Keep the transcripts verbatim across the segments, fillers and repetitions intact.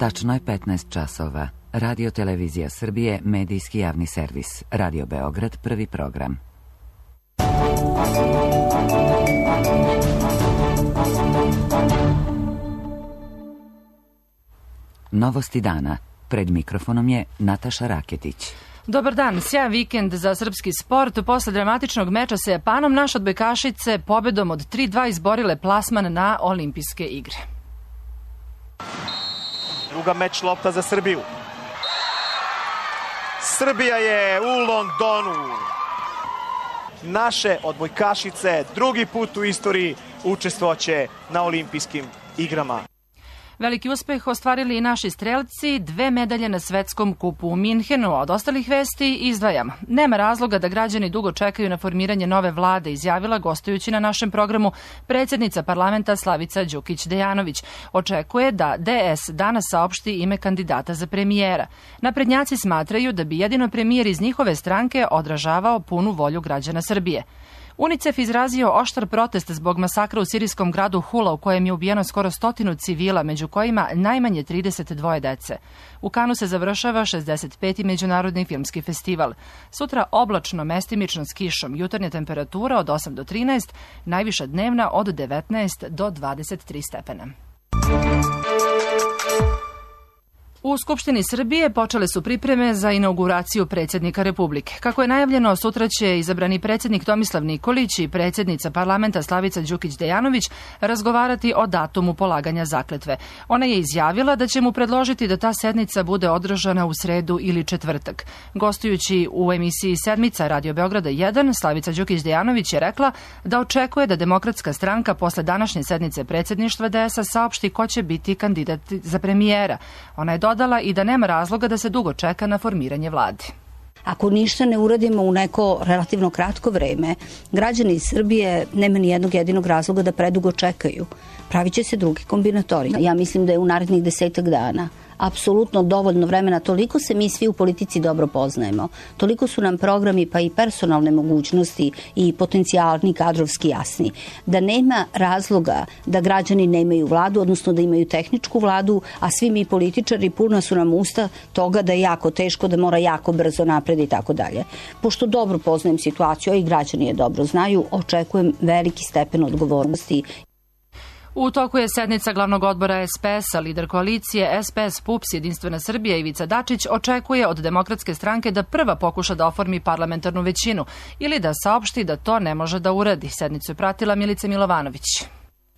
Tačno je petnaest časova. Radio Televizija Srbije, medijski javni servis. Radio Beograd, prvi program. Novosti dana. Pred mikrofonom je Nataša Raketić. Dobar dan, sjajan vikend za srpski sport. Posle dramatičnog meča sa Japanom, naše odbojkašice pobedom od tri dva izborile plasman na olimpijske igre. Druga meč lopta za Srbiju. Srbija je u Londonu. Naše odbojkašice drugi put u istoriji učestvovaće na olimpijskim igrama. Veliki uspeh ostvarili i naši strelci, dve medalje na svetskom kupu u Minhenu. Od ostalih vesti izdvajamo. Nema razloga da građani dugo čekaju na formiranje nove vlade, izjavila gostujući na našem programu predsjednica parlamenta Slavica Đukić Dejanović. Očekuje da D S danas saopšti ime kandidata za premijera. Naprednjaci smatraju da bi jedino premijer iz njihove stranke odražavao punu volju građana Srbije. UNICEF izrazio oštar protest zbog masakra u sirijskom gradu Hula u kojem je ubijeno skoro stotinu civila, među kojima najmanje trideset dva dece. U Kanu se završava šezdeset peti međunarodni filmski festival. Sutra oblačno, mestimično s kišom, jutarnja temperatura od osam do trinaest, najviša dnevna od devetnaest do dvadeset tri stepena. U Skupštini Srbije počele su pripreme za inauguraciju predsjednika Republike. Kako je najavljeno, sutra će izabrani predsjednik Tomislav Nikolić i predsjednica parlamenta Slavica Đukić Dejanović razgovarati o datumu polaganja zakletve. Ona je izjavila da će mu predložiti da ta sednica bude održana u sredu ili četvrtak. Gostujući u emisiji Sedmica Radio Beograda jedan, Slavica Đukić Dejanović je rekla da očekuje da Demokratska stranka posle današnje sednice predsjedništva D S-a saopšti ko će biti kandidat za premijera. Ona je dodala i da nema razloga da se dugo čeka na formiranje vlade. Ako ništa ne uradimo u neko relativno kratko vreme, građani iz Srbije nema ni jednog jedinog razloga da predugo čekaju. Pravit će se drugi kombinatori. Ja mislim da je u narednih desetak dana apsolutno dovoljno vremena, toliko se mi svi u politici dobro poznajemo, toliko su nam programi pa i personalne mogućnosti i potencijalni kadrovski jasni, da nema razloga da građani nemaju vladu, odnosno da imaju tehničku vladu, a svi mi političari puna su nam usta toga da je jako teško, da mora jako brzo napred i tako dalje. Pošto dobro poznajem situaciju, a i građani je dobro znaju, očekujem veliki stepen odgovornosti. U toku je sednica glavnog odbora S P S-a. Lider koalicije S P S P U P S Jedinstvena Srbija Ivica Dačić očekuje od Demokratske stranke da prva pokuša da oformi parlamentarnu većinu ili da saopšti da to ne može da uradi. Sednicu je pratila Milica Milovanović.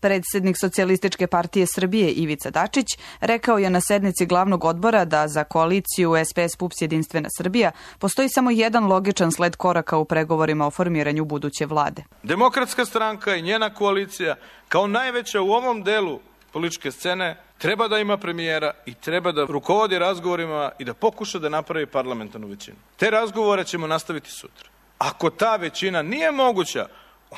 Predsjednik Socijalističke partije Srbije Ivica Dačić rekao je na sednici glavnog odbora da za koaliciju S P S P U P S Jedinstvena Srbija postoji samo jedan logičan sled koraka u pregovorima o formiranju buduće vlade. Demokratska stranka i njena koalicija kao najveća u ovom delu političke scene treba da ima premijera i treba da rukovodi razgovorima i da pokuša da napravi parlamentarnu većinu. Te razgovore ćemo nastaviti sutra. Ako ta većina nije moguća,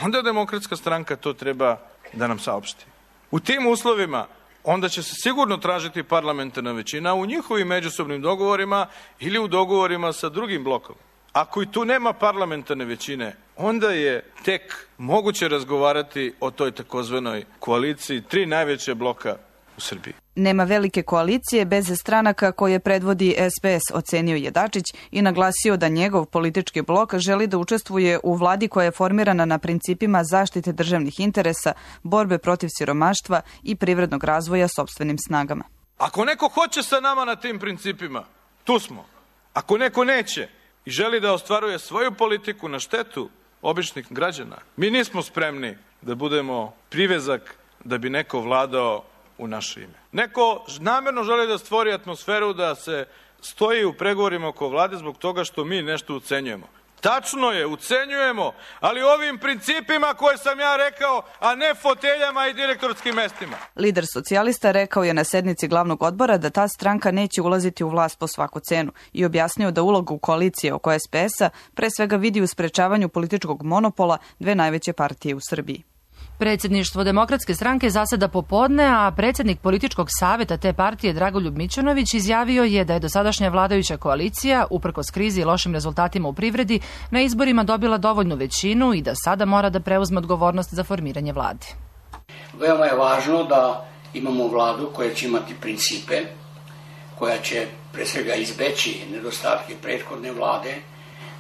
onda Demokratska stranka to treba da nam saopšti. U tim uslovima onda će se sigurno tražiti parlamentarna većina u njihovim međusobnim dogovorima ili u dogovorima sa drugim blokom. Ako i tu nema parlamentarne većine, onda je tek moguće razgovarati o toj takozvanoj koaliciji tri najveće bloka u Srbiji. Nema velike koalicije bez stranaka koje predvodi S P S, ocenio je Dačić i naglasio da njegov politički blok želi da učestvuje u vladi koja je formirana na principima zaštite državnih interesa, borbe protiv siromaštva i privrednog razvoja sopstvenim snagama. Ako neko hoće sa nama na tim principima, tu smo. Ako neko neće i želi da ostvaruje svoju politiku na štetu običnih građana, mi nismo spremni da budemo privezak da bi neko vladao u naše ime. Neko namjerno želi da stvori atmosferu da se stoji u pregovorima oko vlade zbog toga što mi nešto ucenjujemo. Tačno je, ucenjujemo, ali ovim principima koje sam ja rekao, a ne foteljama i direktorskim mestima. Lider socijalista rekao je na sednici glavnog odbora da ta stranka neće ulaziti u vlast po svaku cenu i objasnio da ulogu koalicije oko S P S-a pre svega vidi u sprečavanju političkog monopola dve najveće partije u Srbiji. Predsjedništvo Demokratske stranke zaseda popodne, a predsjednik političkog savjeta te partije Dragoljub Mićunović izjavio je da je dosadašnja vladajuća koalicija, uprkos krizi i lošim rezultatima u privredi, na izborima dobila dovoljnu većinu i da sada mora da preuzme odgovornost za formiranje vlade. Veoma je važno da imamo vladu koja će imati principe koja će pre svega izbeći nedostatke prethodne vlade,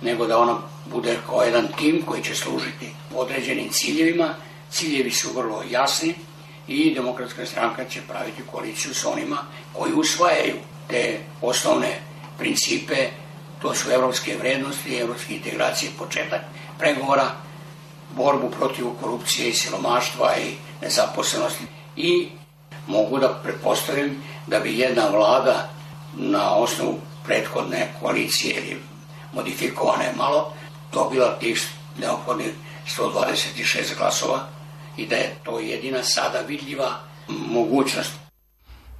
nego da ona bude kao jedan tim koji će služiti određenim ciljevima. Ciljevi su vrlo jasni i Demokratska stranka će praviti koaliciju s onima koji usvajaju te osnovne principe, to su evropske vrednosti, evropske integracije, početak pregovora, borbu protiv korupcije i siromaštva i nezaposlenosti. I mogu da pretpostavim da bi jedna vlada na osnovu prethodne koalicije ili modifikovane malo dobila tih neophodnih sto dvadeset šest glasova i da je to jedina sada vidljiva mogućnost.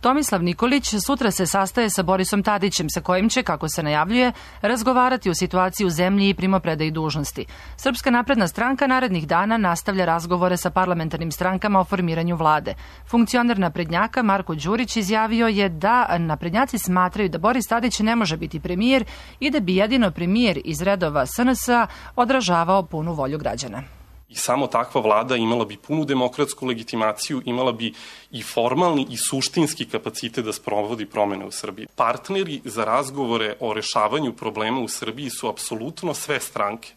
Tomislav Nikolić sutra se sastaje sa Borisom Tadićem, sa kojim će, kako se najavljuje, razgovarati o situaciji u zemlji i primopredaji dužnosti. Srpska napredna stranka narednih dana nastavlja razgovore sa parlamentarnim strankama o formiranju vlade. Funkcioner naprednjaka Marko Đurić izjavio je da naprednjaci smatraju da Boris Tadić ne može biti premijer i da bi jedino premijer iz redova S N S-a odražavao punu volju građana. I samo takva vlada imala bi punu demokratsku legitimaciju, imala bi i formalni i suštinski kapacitet da sprovodi promene u Srbiji. Partneri za razgovore o rešavanju problema u Srbiji su apsolutno sve stranke,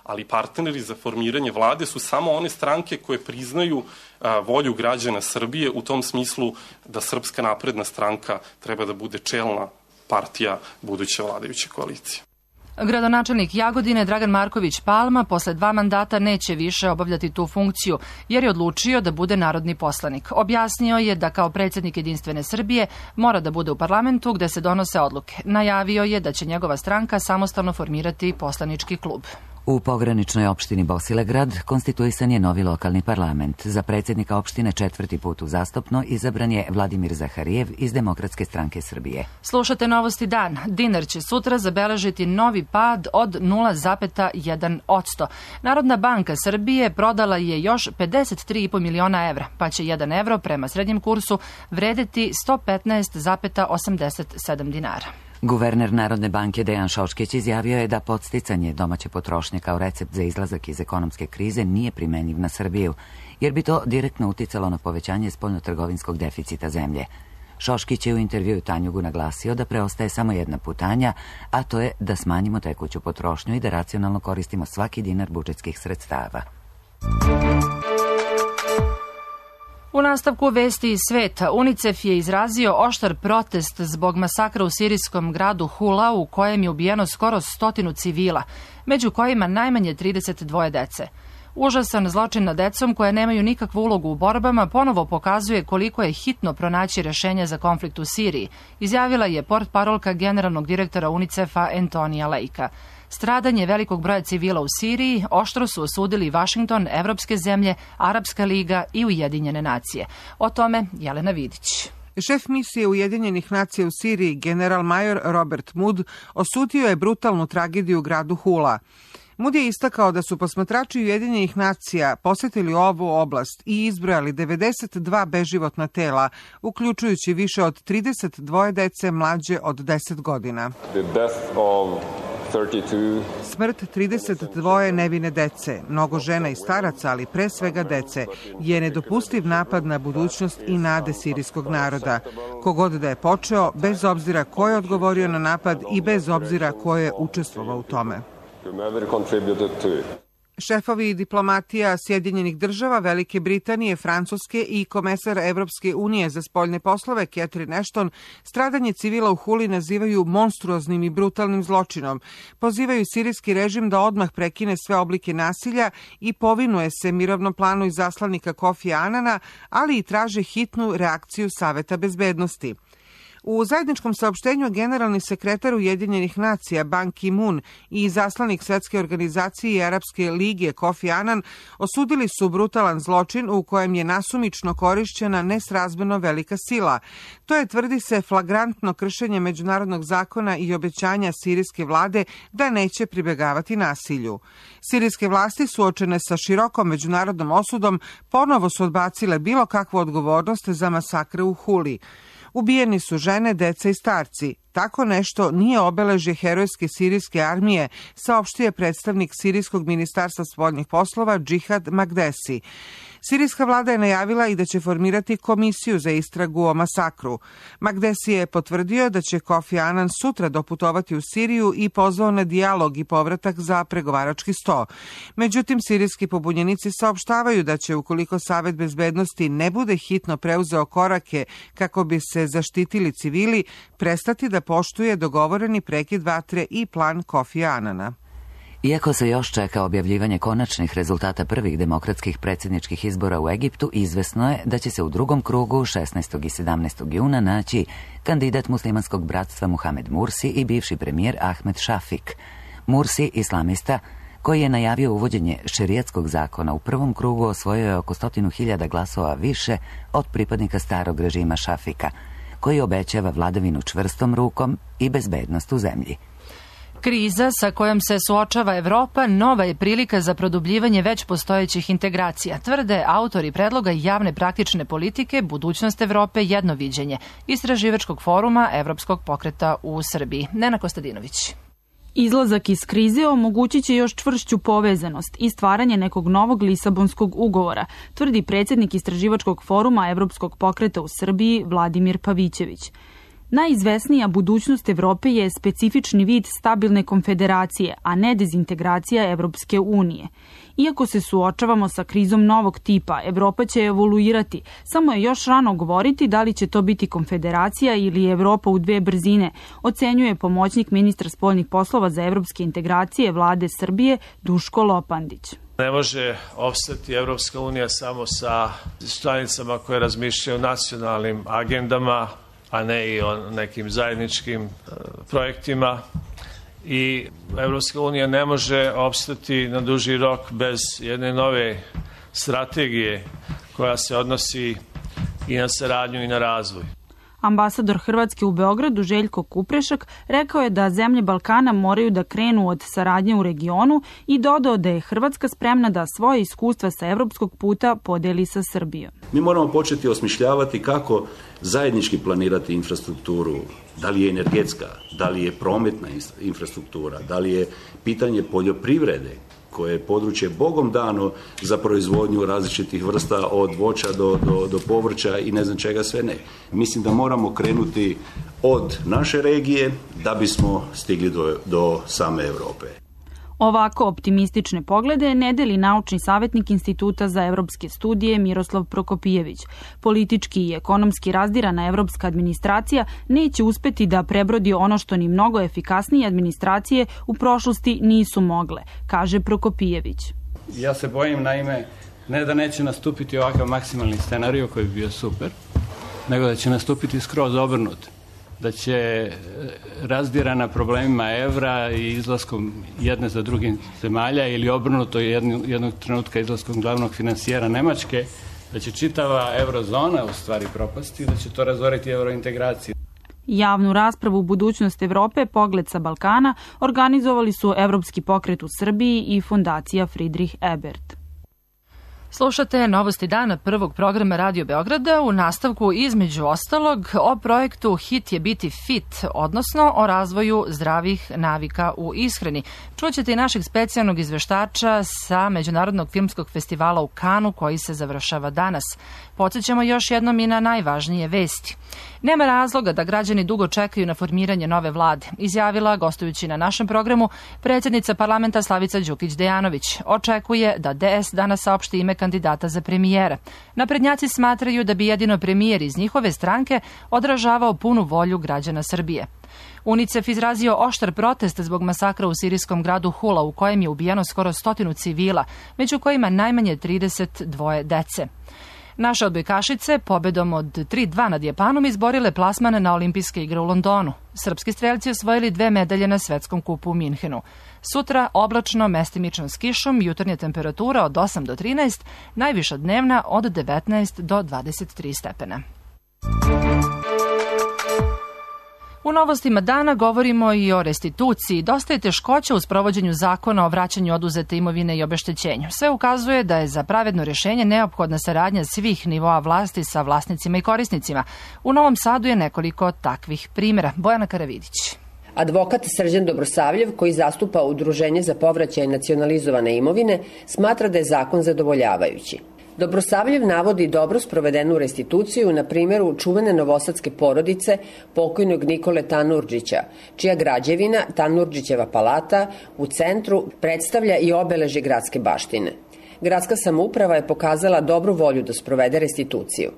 ali partneri za formiranje vlade su samo one stranke koje priznaju a, volju građana Srbije u tom smislu da Srpska napredna stranka treba da bude čelna partija buduće vladajuće koalicije. Gradonačelnik Jagodine Dragan Marković Palma posle dva mandata neće više obavljati tu funkciju, jer je odlučio da bude narodni poslanik. Objasnio je da kao predsjednik Jedinstvene Srbije mora da bude u parlamentu gde se donose odluke. Najavio je da će njegova stranka samostalno formirati poslanički klub. U pograničnoj opštini Bosilegrad konstituisan je novi lokalni parlament. Za predsjednika opštine četvrti put uzastopno izabran je Vladimir Zaharijev iz Demokratske stranke Srbije. Slušate Novosti dan. Dinar će sutra zabeležiti novi pad od nula zarez jedan posto. Narodna banka Srbije prodala je još pedeset tri i po miliona evra, pa će jedan evro prema srednjem kursu vredeti sto petnaest zarez osamdeset sedam dinara. Guverner Narodne banke Dejan Šoškić izjavio je da podsticanje domaće potrošnje kao recept za izlazak iz ekonomske krize nije primenjiv na Srbiju, jer bi to direktno uticalo na povećanje spoljnotrgovinskog deficita zemlje. Šoškić je u intervjuu Tanjugu naglasio da preostaje samo jedna putanja, a to je da smanjimo tekuću potrošnju i da racionalno koristimo svaki dinar budžetskih sredstava. U nastavku vesti iz sveta, UNICEF je izrazio oštar protest zbog masakra u sirijskom gradu Hula u kojem je ubijeno skoro stotinu civila, među kojima najmanje trideset dvoje dece. Užasan zločin nad decom koja nemaju nikakvu ulogu u borbama ponovo pokazuje koliko je hitno pronaći rešenje za konflikt u Siriji, izjavila je portparolka generalnog direktora UNICEF-a Antonija Lejka. Stradanje velikog broja civila u Siriji oštro su osudili Vašington, evropske zemlje, Arapska liga i Ujedinjene nacije. O tome Jelena Vidić. Šef misije Ujedinjenih nacija u Siriji, general major Robert Mood, osudio je brutalnu tragediju u gradu Hula. Mood je istakao da su posmatrači Ujedinjenih nacija posetili ovu oblast i izbrojali devedeset dva beživotna tela, uključujući više od trideset dvoje dece mlađe od deset godina. Smrt trideset dvoje nevine dece, mnogo žena i staraca, ali pre svega dece, je nedopustiv napad na budućnost i nade sirijskog naroda. Kogod da je počeo, bez obzira ko je odgovorio na napad i bez obzira ko je učestvovao u tome. Šefovi diplomatija Sjedinjenih država, Velike Britanije, Francuske i komesar Evropske unije za spoljne poslove Catherine Ashton stradanje civila u Huli nazivaju monstruoznim i brutalnim zločinom. Pozivaju sirijski režim da odmah prekine sve oblike nasilja i povinuje se mirovnom planu izaslanika Kofija Anana, ali i traže hitnu reakciju Saveta bezbednosti. U zajedničkom saopštenju generalni sekretar Ujedinjenih nacija Ban Ki-moon i izaslanik Svetske organizacije i Arapske lige Kofi Anan osudili su brutalan zločin u kojem je nasumično korišćena nesrazmjerno velika sila. To je, tvrdi se, flagrantno kršenje međunarodnog zakona i obećanja sirijske vlade da neće pribegavati nasilju. Sirijske vlasti, suočene sa širokom međunarodnom osudom, ponovo su odbacile bilo kakvu odgovornost za masakre u Huli. Ubijeni su žene, deca i starci. Tako nešto nije obeležje herojske sirijske armije, saopštio je predstavnik Sirijskog ministarstva spoljnih poslova Džihad Magdesi. Sirijska vlada je najavila i da će formirati komisiju za istragu o masakru. Magdesi je potvrdio da će Kofi Anan sutra doputovati u Siriju i pozvao na dijalog i povratak za pregovarački sto. Međutim, sirijski pobunjenici saopštavaju da će, ukoliko Savet bezbednosti ne bude hitno preuzeo korake kako bi se zaštitili civili, prestati da poštuje dogovoreni prekid vatre i plan Kofi Anana. Iako se još čeka objavljivanje konačnih rezultata prvih demokratskih predsjedničkih izbora u Egiptu, izvesno je da će se u drugom krugu šesnaestog i sedamnaestog juna naći kandidat muslimanskog bratstva Muhamed Mursi i bivši premijer Ahmed Šafik. Mursi, islamista, koji je najavio uvođenje šerijatskog zakona u prvom krugu, osvojio je oko stotinu hiljada glasova više od pripadnika starog režima Šafika, koji obećava vladavinu čvrstom rukom i bezbednost u zemlji. Kriza sa kojom se suočava Evropa nova je prilika za produbljivanje već postojećih integracija, tvrde autori predloga javne praktične politike Budućnost Evrope jednoviđenje istraživačkog foruma Evropskog pokreta u Srbiji. Nena Kostadinović. Izlazak iz krize omogućit će još čvršću povezanost i stvaranje nekog novog Lisabonskog ugovora, tvrdi predsjednik istraživačkog foruma Evropskog pokreta u Srbiji Vladimir Pavićević. Najizvesnija budućnost Evrope je specifični vid stabilne konfederacije, a ne dezintegracija Evropske unije. Iako se suočavamo sa krizom novog tipa, Evropa će evoluirati. Samo je još rano govoriti da li će to biti konfederacija ili Evropa u dve brzine, ocenjuje pomoćnik ministra spoljnih poslova za evropske integracije vlade Srbije Duško Lopandić. Ne može opstati Evropska unija samo sa članicama koje razmišljaju o nacionalnim agendama, a ne i o nekim zajedničkim uh, projektima. I Evropska unija ne može opstati na duži rok bez jedne nove strategije koja se odnosi i na saradnju i na razvoj. Ambasador Hrvatske u Beogradu Željko Kuprešak rekao je da zemlje Balkana moraju da krenu od saradnje u regionu i dodao da je Hrvatska spremna da svoje iskustva sa evropskog puta podeli sa Srbijom. Mi moramo početi osmišljavati kako zajednički planirati infrastrukturu, da li je energetska, da li je prometna infrastruktura, da li je pitanje poljoprivrede, koje je područje bogom dano za proizvodnju različitih vrsta od voća do, do, do povrća i ne znam čega sve ne. Mislim da moramo krenuti od naše regije da bismo stigli do, do same Europe. Ovako optimistične poglede ne deli naučni savjetnik Instituta za evropske studije Miroslav Prokopijević. Politički i ekonomski razdirana evropska administracija neće uspeti da prebrodi ono što ni mnogo efikasnije administracije u prošlosti nisu mogle, kaže Prokopijević. Ja se bojim, naime, ne da neće nastupiti ovakav maksimalni scenarij koji bi bio super, nego da će nastupiti skroz obrnut. Da će razdirana problemima evra i izlaskom jedne za drugim zemalja ili obrnuto jednog, jednog trenutka izlaskom glavnog finansijera Nemačke, da će čitava eurozona u stvari propasti i da će to razoriti eurointegraciju. Javnu raspravu Budućnost Evrope, Pogled sa Balkana organizovali su Evropski pokret u Srbiji i Fondacija Friedrich Ebert. Slušate Novosti dana prvog programa Radio Beograda, u nastavku između ostalog o projektu Hit je biti fit, odnosno o razvoju zdravih navika u ishrani. Čućete i našeg specijalnog izveštača sa Međunarodnog filmskog festivala u Kanu koji se završava danas. Podsjećamo još jednom i na najvažnije vesti. Nema razloga da građani dugo čekaju na formiranje nove vlade, izjavila, gostujući na našem programu, predsjednica parlamenta Slavica Đukić-Dejanović. Očekuje da D S danas saopšti ime kandidata za premijera. Naprednjaci smatraju da bi jedino premijer iz njihove stranke odražavao punu volju građana Srbije. UNICEF izrazio oštar protest zbog masakra u sirijskom gradu Hula, u kojem je ubijeno skoro stotinu civila, među kojima najmanje trideset dvoje dece. Naše odbojkašice pobedom od tri dva nad Japanom izborile plasman na olimpijske igre u Londonu. Srpski strelci osvojili dve medalje na svetskom kupu u Minhenu. Sutra oblačno, mestimično s kišom, jutarnja temperatura od osam do trinaest, najviša dnevna od devetnaest do dvadeset tri stepena. U novostima dana govorimo i o restituciji. Dosta je teškoća u sprovođenju zakona o vraćanju oduzete imovine i obeštećenju. Sve ukazuje da je za pravedno rješenje neophodna saradnja svih nivoa vlasti sa vlasnicima i korisnicima. U Novom Sadu je nekoliko takvih primjera. Bojana Karavidić. Advokat Srđan Dobrosavljev, koji zastupa Udruženje za povraćaj nacionalizovane imovine, smatra da je zakon zadovoljavajući. Dobrosavljev navodi dobro sprovedenu restituciju na primjeru čuvene novosadske porodice pokojnog Nikole Tanurđića, čija građevina, Tanurđićeva palata, u centru predstavlja i obeležje gradske baštine. Gradska samouprava je pokazala dobru volju da sprovede restituciju.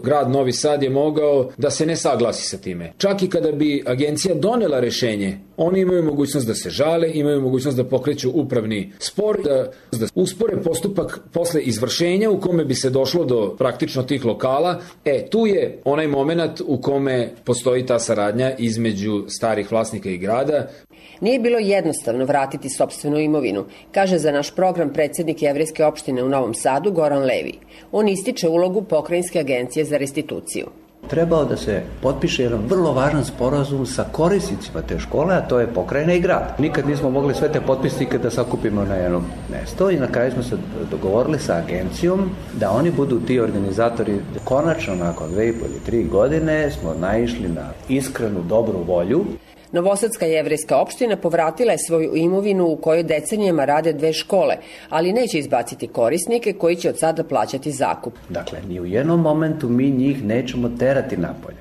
Grad Novi Sad je mogao da se ne saglasi sa time. Čak i kada bi agencija donela rešenje, oni imaju mogućnost da se žale, imaju mogućnost da pokreću upravni spor, da, da uspore postupak posle izvršenja u kome bi se došlo do praktično tih lokala. E, tu je onaj moment u kome postoji ta saradnja između starih vlasnika i grada. Nije bilo jednostavno vratiti sopstvenu imovinu, kaže za naš program predsjednik Jevrejske opštine u Novom Sadu Goran Levi. On ističe ulogu Pokrajinske agencije za restituciju. Trebao da se potpiše jedan vrlo važan sporazum sa korisnicima te škole, a to je pokrajina i grad. Nikad nismo mogli sve te potpisnike da sakupimo na jednom mesto i na kraju smo se dogovorili sa agencijom da oni budu ti organizatori. Konačno, nakon dve i po ili tri godine, smo naišli na iskrenu dobru volju. Novosadska jevrejska opština povratila je svoju imovinu u kojoj decenijama rade dve škole, ali neće izbaciti korisnike koji će od sada plaćati zakup. Dakle, ni u jednom momentu mi njih nećemo terati napolje,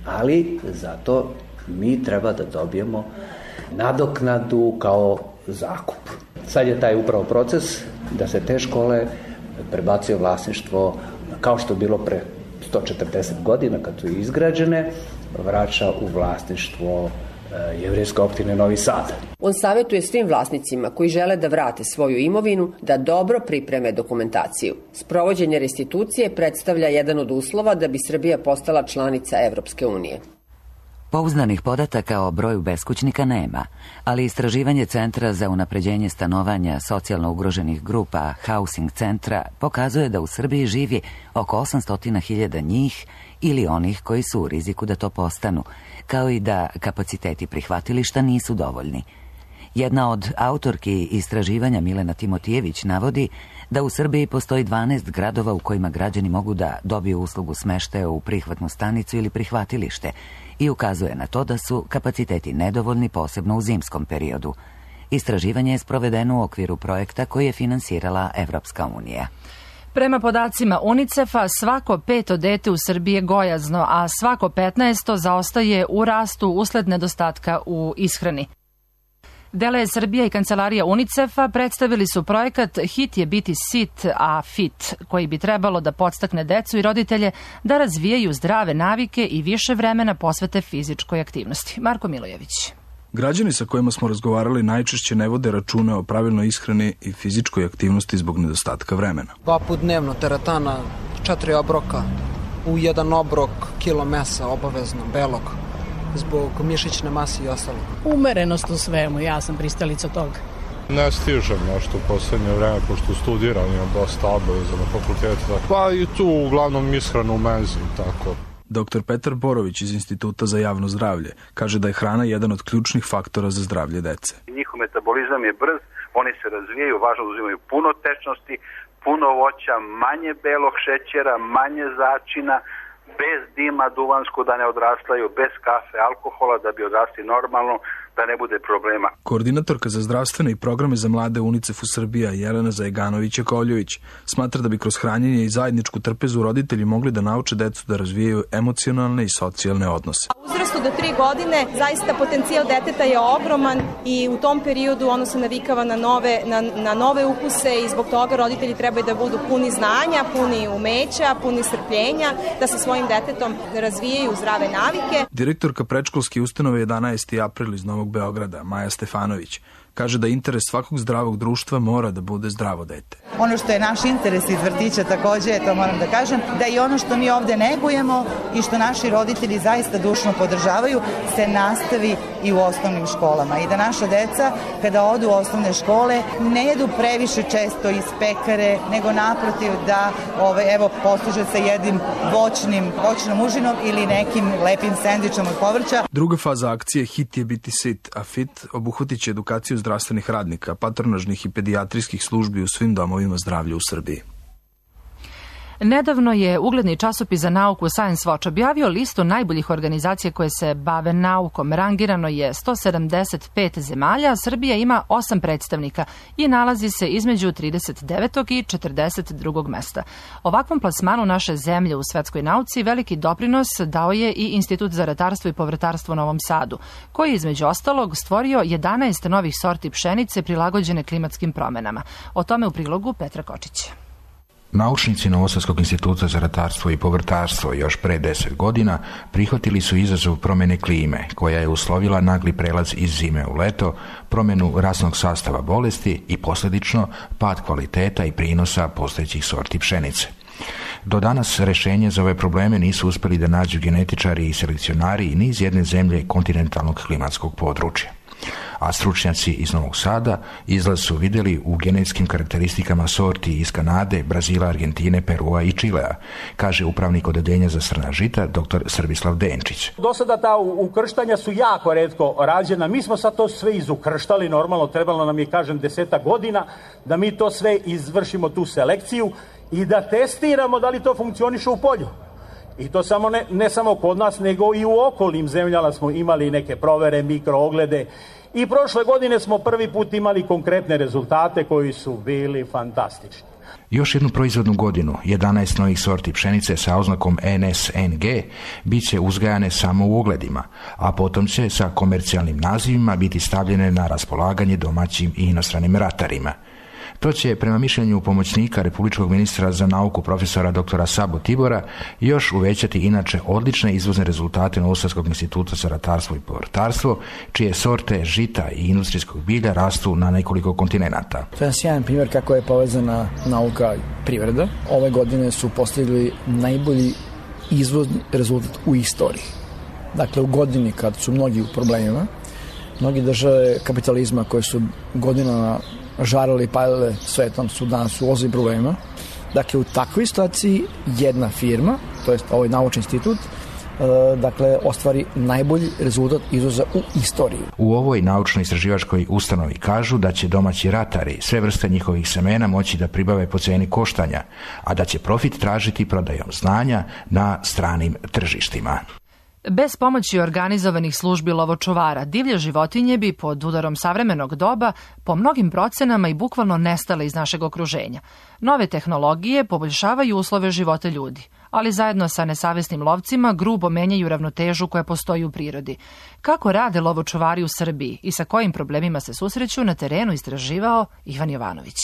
ali zato mi treba da dobijemo nadoknadu kao zakup. Sad je taj upravo proces da se te škole prebacuje vlasništvo, kao što je bilo pre sto četrdeset godina kad su izgrađene, vraća u vlasništvo Jevrejske opštine Novi Sad. On savjetuje svim vlasnicima koji žele da vrate svoju imovinu da dobro pripreme dokumentaciju. Sprovođenje restitucije predstavlja jedan od uslova da bi Srbija postala članica Evropske unije. Pouzdanih podataka o broju beskućnika nema, ali istraživanje Centra za unapređenje stanovanja socijalno ugroženih grupa Housing Centra pokazuje da u Srbiji živi oko osamsto hiljada njih ili onih koji su u riziku da to postanu, kao i da kapaciteti prihvatilišta nisu dovoljni. Jedna od autorki istraživanja Milena Timotijević navodi da u Srbiji postoji dvanaest gradova u kojima građani mogu da dobiju uslugu smeštaja u prihvatnu stanicu ili prihvatilište i ukazuje na to da su kapaciteti nedovoljni, posebno u zimskom periodu. Istraživanje je sprovedeno u okviru projekta koji je finansirala Evropska unija. Prema podacima UNICEF-a, svako peto dete u Srbiji je gojazno, a svako petnaesto zaostaje u rastu usled nedostatka u ishrani. Dele Srbija i kancelarija UNICEF-a predstavili su projekat Hit je biti sit, a fit, koji bi trebalo da podstakne decu i roditelje da razvijaju zdrave navike i više vremena posvete fizičkoj aktivnosti. Marko Milojević. Građani sa kojima smo razgovarali najčešće ne vode računa o pravilnoj ishrani i fizičkoj aktivnosti zbog nedostatka vremena. Dva put dnevno teretana, četiri obroka, u jedan obrok kilo mesa obavezno, belog, zbog mišićne mase i ostalo. Umerenost u svemu, ja sam pristalica toga. Ne stižem nešto u poslednje vreme, pošto studiram, imam dosta obaveza na fakultetu. Pa i tu uglavnom ishranu u menzi, tako. doktor Petar Borović iz Instituta za javno zdravlje kaže da je hrana jedan od ključnih faktora za zdravlje dece. Njihov metabolizam je brz, oni se razvijaju, važno da uzimaju puno tečnosti, puno voća, manje belog šećera, manje začina, bez dima duvansko da ne odrastaju, bez kafe, alkohola da bi odrasli normalno, da ne bude problema. Koordinatorka za zdravstvene i programe za mlade u UNICEF-u Srbija Jelena Zajeganović-Jakovljević smatra da bi kroz hranjenje i zajedničku trpezu roditelji mogli da nauče decu da razvijaju emocionalne i socijalne odnose. U uzrastu do tri godine zaista potencijal deteta je ogroman i u tom periodu ono se navikava na nove, na, na nove ukuse i zbog toga roditelji trebaju da budu puni znanja, puni umeća, puni strpljenja, da sa svojim detetom razvijaju zdrave navike. Direktorka predškolske ustanove jedanaesti april iz Novog Beograda, Maja Stefanović, kaže da interes svakog zdravog društva mora da bude zdravo dete. Ono što je naš interes iz vrtića takođe, to moram da kažem, da i ono što mi ovde negujemo i što naši roditelji zaista dušno podržavaju, se nastavi i u osnovnim školama. I da naša deca, kada odu u osnovne škole, ne jedu previše često iz pekare, nego naprotiv da ove, evo, posluže se jednim voćnim, voćnom užinom ili nekim lepim sendvičom od povrća. Druga faza akcije Hit je biti sit, a fit obuhvatit će edukaciju zdravstvenih radnika, patronažnih i pedijatrijskih službi u svim domovima zdravlja u Srbiji. Nedavno je ugledni časopis za nauku Science Watch objavio listu najboljih organizacija koje se bave naukom. Rangirano je sto sedamdeset pet zemalja, a Srbija ima osam predstavnika i nalazi se između trideset devetog i četrdeset drugog mesta. Ovakvom plasmanu naše zemlje u svetskoj nauci veliki doprinos dao je i Institut za ratarstvo i povrtarstvo u Novom Sadu, koji je između ostalog stvorio jedanaest novih sorti pšenice prilagođene klimatskim promenama. O tome u prilogu Petra Kočića. Naučnici Novosadskog instituta za ratarstvo i povrtarstvo još pre deset godina prihvatili su izazov promjene klime, koja je uslovila nagli prelaz iz zime u leto, promjenu rasnog sastava bolesti i posljedično pad kvaliteta i prinosa postojećih sorti pšenice. Do danas rešenje za ove probleme nisu uspjeli da nađu genetičari i selekcionari ni iz jedne zemlje kontinentalnog klimatskog područja. A stručnjaci iz Novog Sada izlaz su vidjeli u genetskim karakteristikama sorti iz Kanade, Brazila, Argentine, Perua i Čilea, kaže upravnik odeljenja za srna žita dr. Srbislav Denčić. Do sada ta ukrštanja su jako retko rađena. Mi smo sad to sve izukrštali, normalno trebalo nam je, kažem, deseta godina da mi to sve izvršimo, tu selekciju, i da testiramo da li to funkcioniše u polju. I to samo ne, ne samo kod nas, nego i u okolnim zemljama smo imali neke provere, mikrooglede. I prošle godine smo prvi put imali konkretne rezultate koji su bili fantastični. Još jednu proizvodnu godinu, jedanaest novih sorti pšenice sa oznakom N S N G bit će uzgajane samo u ogledima, a potom će sa komercijalnim nazivima biti stavljene na raspolaganje domaćim i inostranim ratarima. To će, prema mišljenju pomoćnika republičkog ministra za nauku profesora doktora Sabo Tibora, još uvećati inače odlične izvozne rezultate Novosadskog instituta za ratarstvo i povrtarstvo, čije sorte žita i industrijskog bilja rastu na nekoliko kontinenata. To je sjajan primjer kako je povezana nauka i privreda. Ove godine su postigli najbolji izvozni rezultat u istoriji. Dakle, u godini kad su mnogi u problemima, mnogi države kapitalizma koje su godinama žarali i palile svetom su danas u ozbiljnim problema. Dakle, u takvoj situaciji jedna firma, to jest ovaj naučni institut, dakle, ostvari najbolji rezultat izvoza u istoriji. U ovoj naučno-istraživačkoj ustanovi kažu da će domaći ratari sve vrste njihovih semena moći da pribave po ceni koštanja, a da će profit tražiti prodajom znanja na stranim tržištima. Bez pomoći organizovanih službi lovočuvara, divlje životinje bi pod udarom savremenog doba po mnogim procenama i bukvalno nestale iz našeg okruženja. Nove tehnologije poboljšavaju uslove života ljudi, ali zajedno sa nesavesnim lovcima grubo menjaju ravnotežu koja postoji u prirodi. Kako rade lovočuvari u Srbiji i sa kojim problemima se susreću, na terenu istraživao Ivan Jovanović.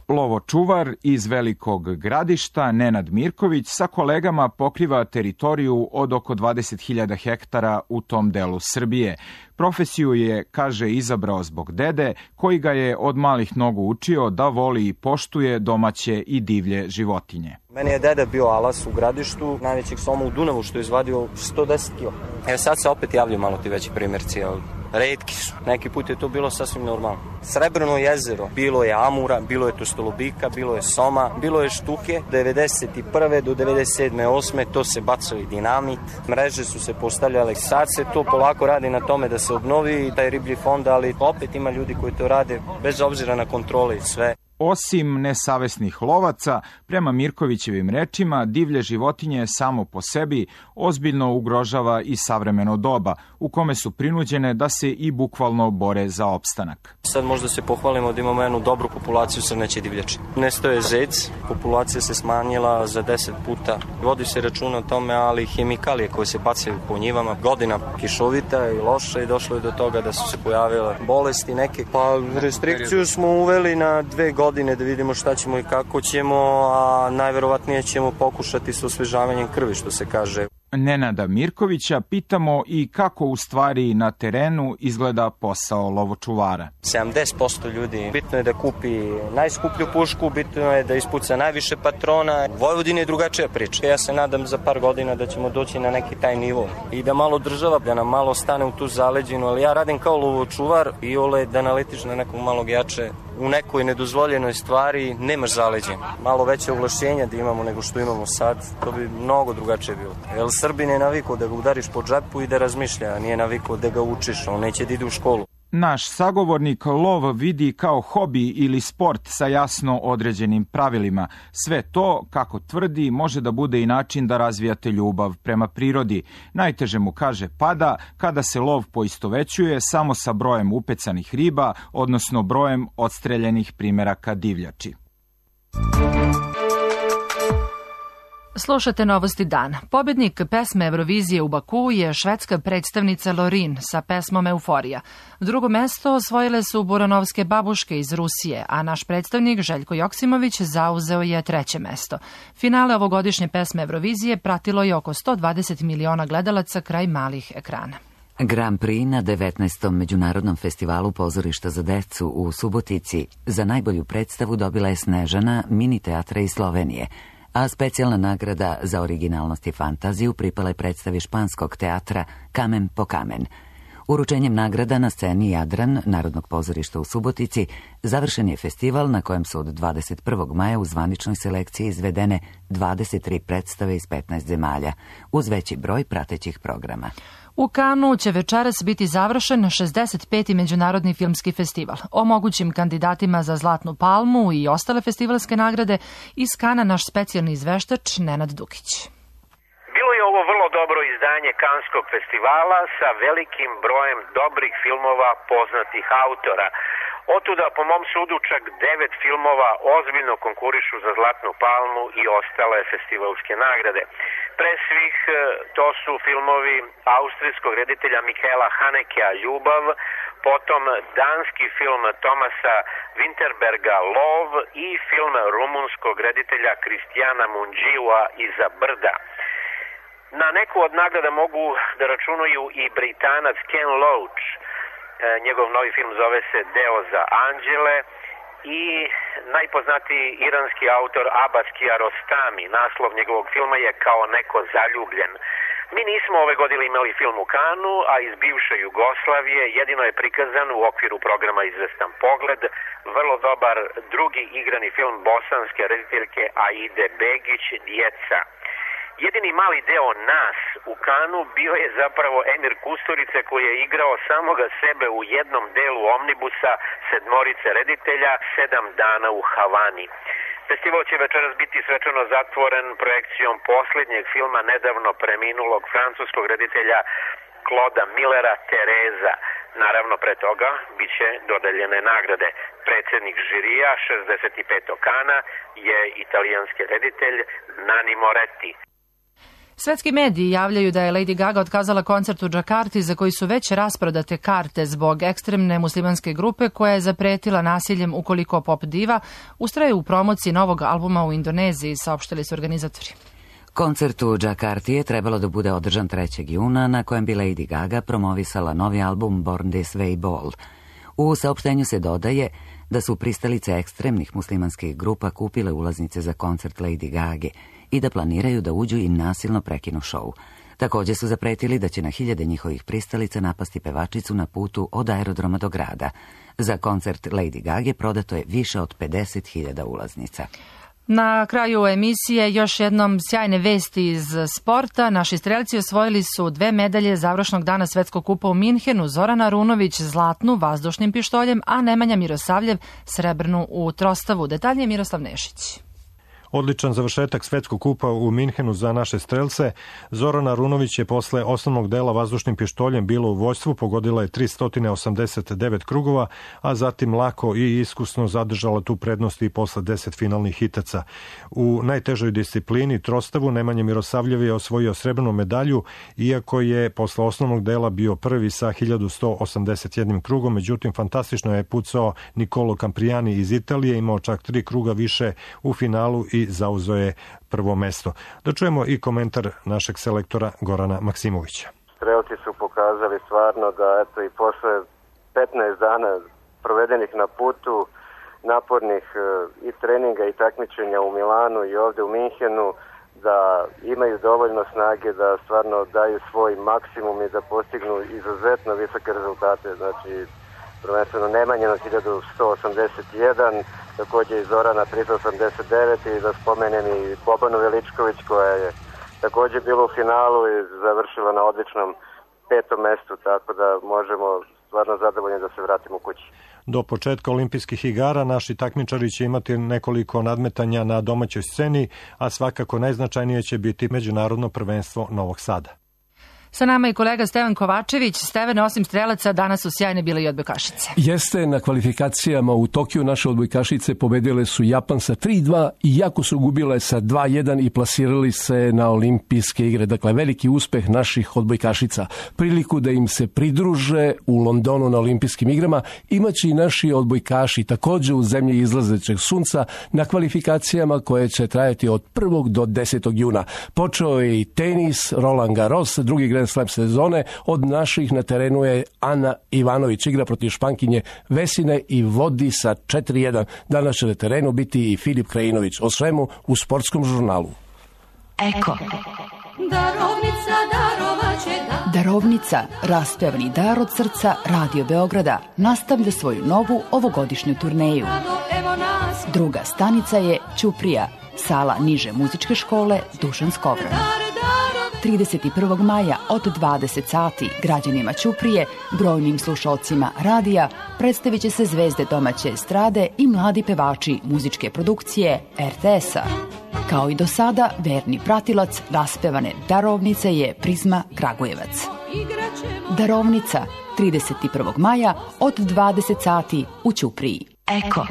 Lovočuvar iz Velikog Gradišta, Nenad Mirković, sa kolegama pokriva teritoriju od oko dvadeset hiljada hektara u tom delu Srbije. Profesiju je, kaže, izabrao zbog dede, koji ga je od malih nogu učio da voli i poštuje domaće i divlje životinje. Meni je deda bio alas u Gradištu, najvećeg soma u Dunavu, što je izvadio sto deset kila. Evo sad se opet javljaju malo ti veći primjerci, ali retki su. Neki put je to bilo sasvim normalno. Srebrno jezero, bilo je amura, bilo je tostolobika, bilo je soma, bilo je štuke. devedeset prve do devedeset sedme osme to se bacali dinamit, mreže su se postavljale. Sad se to polako radi na tome da se obnovi taj riblji fond, ali opet ima ljudi koji to rade bez obzira na kontrole i sve. Osim nesavesnih lovaca, prema Mirkovićevim rečima, divlje životinje samo po sebi ozbiljno ugrožava i savremeno doba, u kome su prinuđene da se i bukvalno bore za opstanak. Sad možda se pohvalimo da imamo jednu dobru populaciju srneće divljači. Nestao je zec, populacija se smanjila za deset puta. Vodi se računa o tome, ali hemikalije koje se bacaju po njivama, godina kišovita i loša, i došlo je do toga da su se pojavile bolesti neke. Pa restrikciju smo uveli na dve godine da vidimo šta ćemo i kako ćemo, a najverovatnije ćemo pokušati sa osvežavanjem krvi, što se kaže. Nenada Mirkovića pitamo i kako u stvari na terenu izgleda posao lovočuvara. sedamdeset posto ljudi bitno je da kupi najskuplju pušku, bitno je da ispuca najviše patrona. U Vojvodini je drugačija priča. Ja se nadam za par godina da ćemo doći na neki taj nivo i da malo država, da nam malo stane u tu zaleđinu, ali ja radim kao lovočuvar i ole da naletiš na nekog malog jače u nekoj nedozvoljenoj stvari, nemaš zaleđen. Malo veće ovlašćenja da imamo nego što imamo sad, to bi mnogo drugačije bilo. Jer Srbin je navikao da ga udariš po džepu i da razmišlja, nije navikao da ga učiš, on neće da ide u školu. Naš sagovornik lov vidi kao hobi ili sport sa jasno određenim pravilima. Sve to, kako tvrdi, može da bude i način da razvijate ljubav prema prirodi. Najteže mu, kaže, pada kada se lov poistovećuje samo sa brojem upecanih riba, odnosno brojem odstreljenih primeraka divljači. Slušate Novosti dana. Pobednik pesme Eurovizije u Bakuu je švedska predstavnica Lorin sa pesmom Euforija. Drugo mesto osvojile su Buranovske babuške iz Rusije, a naš predstavnik Željko Joksimović zauzeo je treće mesto. Finale ovogodišnje pesme Eurovizije pratilo je oko sto dvadeset miliona gledalaca kraj malih ekrana. Grand Prix na devetnaestom Međunarodnom festivalu pozorišta za decu u Subotici za najbolju predstavu dobila je Snežana mini teatra iz Slovenije, a specijalna nagrada za originalnost i fantaziju pripala je predstavi španskog teatra Kamen po kamen. Uručenjem nagrada na sceni Jadran Narodnog pozorišta u Subotici završen je festival na kojem su od dvadeset prvog maja u zvaničnoj selekciji izvedene dvadeset tri predstave iz petnaest zemalja, uz veći broj pratećih programa. U Kanu će večeras biti završen šezdeset peti Međunarodni filmski festival. O mogućim kandidatima za Zlatnu palmu i ostale festivalske nagrade iz Kana naš specijalni izveštač Nenad Dukić. Bilo je ovo vrlo dobro izdanje Kanskog festivala sa velikim brojem dobrih filmova poznatih autora. Otuda, po mom sudu, čak devet filmova ozbiljno konkurišu za Zlatnu palmu i ostale festivalske nagrade. Pre svih to su filmovi austrijskog reditelja Michaela Hanekea Ljubav, potom danski film Tomasa Winterberga Lov i film rumunskog reditelja Kristijana Munđiua Iza brda. Na neku od nagrada mogu da računaju i Britanac Ken Loach. Njegov novi film zove se Deo za anđele i najpoznatiji iranski autor Abbas Kiarostami. Naslov njegovog filma je Kao neko zaljubljen. Mi nismo ove godine imali film u Kanu, a iz bivše Jugoslavije jedino je prikazan u okviru programa Izvestan pogled vrlo dobar drugi igrani film bosanske rediteljke Aide Begić Djeca. Jedini mali deo nas u Kanu bio je zapravo Emir Kusturice koji je igrao samoga sebe u jednom delu omnibusa sedmorice reditelja Sedam dana u Havani. Festival će večeras biti svečano zatvoren projekcijom posljednjeg filma nedavno preminulog francuskog reditelja Clauda Millera Tereza. Naravno, pre toga bit će dodeljene nagrade. Predsjednik žirija šezdeset petog Kana je italijanski reditelj Nanni Moretti. Svetski mediji javljaju da je Lady Gaga otkazala koncert u Džakarti za koji su već rasprodate karte zbog ekstremne muslimanske grupe koja je zapretila nasiljem ukoliko pop diva ustraje u promociji novog albuma u Indoneziji, saopštili su organizatori. Koncert u Džakarti je trebalo da bude održan trećeg juna, na kojem bi Lady Gaga promovisala novi album Born This Way Ball. U saopštenju se dodaje da su pristalice ekstremnih muslimanskih grupa kupile ulaznice za koncert Lady Gage i da planiraju da uđu i nasilno prekinu šou. Također su zapretili da će na hiljade njihovih pristalica napasti pevačicu na putu od aerodroma do grada. Za koncert Lady Gage prodato je više od pedeset hiljada ulaznica. Na kraju emisije još jednom sjajne vesti iz sporta. Naši strelci osvojili su dve medalje završnog dana Svetskog kupa u Minhenu. Zoran Arunović zlatnu vazdušnim pištoljem, a Nemanja Mirosavljev srebrnu u trostavu. Detaljnije Miroslav Nešić. Odličan završetak Svetskog kupa u Minhenu za naše strelce. Zorana Arunović je posle osnovnog dela vazdušnim pištoljem bilo u vođstvu, pogodila je tristo osamdeset devet krugova, a zatim lako i iskusno zadržala tu prednost i posle deset finalnih hitaca. U najtežoj disciplini trostavu Nemanja Mirosavljev je osvojio srebrnu medalju, iako je posle osnovnog dela bio prvi sa hiljadu sto osamdeset jednim krugom, međutim fantastično je pucao Nicolo Camprijani iz Italije, imao čak tri kruga više u finalu i zauzeo je prvo mesto. Da čujemo i komentar našeg selektora Gorana Maksimovića. Strelci su pokazali stvarno da eto i posle petnaest dana provedenih na putu, napornih i treninga i takmičenja u Milanu i ovde u Minhenu, da imaju dovoljno snage da stvarno daju svoj maksimum i da postignu izuzetno visoke rezultate. Znači, prvenstveno Nemanja na hiljadu sto osamdeset jedan, također i Zorana tristo osamdeset devet i da spomenem i Bobanu Veličković koja je također bila u finalu i završila na odličnom petom mestu, tako da možemo stvarno zadovoljni da se vratimo kući. Do početka olimpijskih igara naši takmičari će imati nekoliko nadmetanja na domaćoj sceni, a svakako najznačajnije će biti međunarodno prvenstvo Novog Sada. Sa nama je kolega Stevan Kovačević. Stevane, osim strelaca, danas su sjajne bile i odbojkašice. Jeste, na kvalifikacijama u Tokiju naše odbojkašice pobedile su Japan sa tri dva, iako su gubile sa dva jedan i plasirali se na olimpijske igre. Dakle, veliki uspeh naših odbojkašica. Priliku da im se pridruže u Londonu na olimpijskim igrama imaće i naši odbojkaši takođe u zemlji izlazećeg sunca na kvalifikacijama koje će trajati od prvog do desetog juna. Počeo je i tenis, Roland Garros, drugi Grand Slam sezone. Od naših na terenu je Ana Ivanović, igra protiv Špankinje Vesine i vodi sa četiri jedan. Danas će na terenu biti i Filip Krajinović. O svemu u Sportskom žurnalu. Eko. Darovnica, darovaće da... Darovnica, raspevani dar od srca Radio Beograda, nastavlja svoju novu ovogodišnju turneju. Druga stanica je Ćuprija, sala niže muzičke škole Dušan Skovran. trideset prvog maja od dvadeset sati građanima Ćuprije, brojnim slušalcima radija, predstavit će se zvezde domaće estrade i mladi pevači muzičke produkcije er te es-a. Kao i do sada, verni pratilac raspevane Darovnice je Prizma Kragujevac. Darovnica, trideset prvog maja od dvadeset sati u Ćupriji. Eko.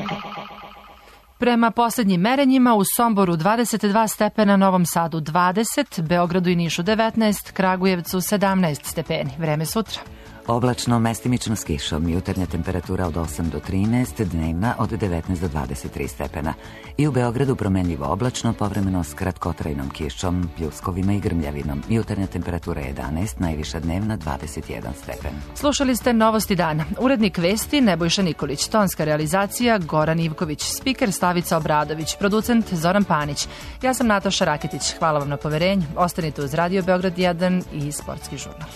Prema poslednjim merenjima u Somboru dvadeset dva stepena, Novom Sadu dvadeset, Beogradu i Nišu devetnaest, Kragujevcu sedamnaest stepeni. Vreme sutra. Oblačno, mestimično s kišom, jutarnja temperatura od osam do trinaest, dnevna od devetnaest do dvadeset tri stepena. I u Beogradu promenljivo oblačno, povremeno s kratkotrajnom kišom, pljuskovima i grmljavinom. Jutarnja temperatura jedanaest, najviša dnevna dvadeset jedan stepen. Slušali ste Novosti dana. Urednik vesti Nebojša Nikolić, tonska realizacija Goran Ivković, spiker Slavica Obradović, producent Zoran Panić. Ja sam Nataša Raketić. Hvala vam na poverenju. Ostanite uz Radio Beograd jedan i Sportski žurnal.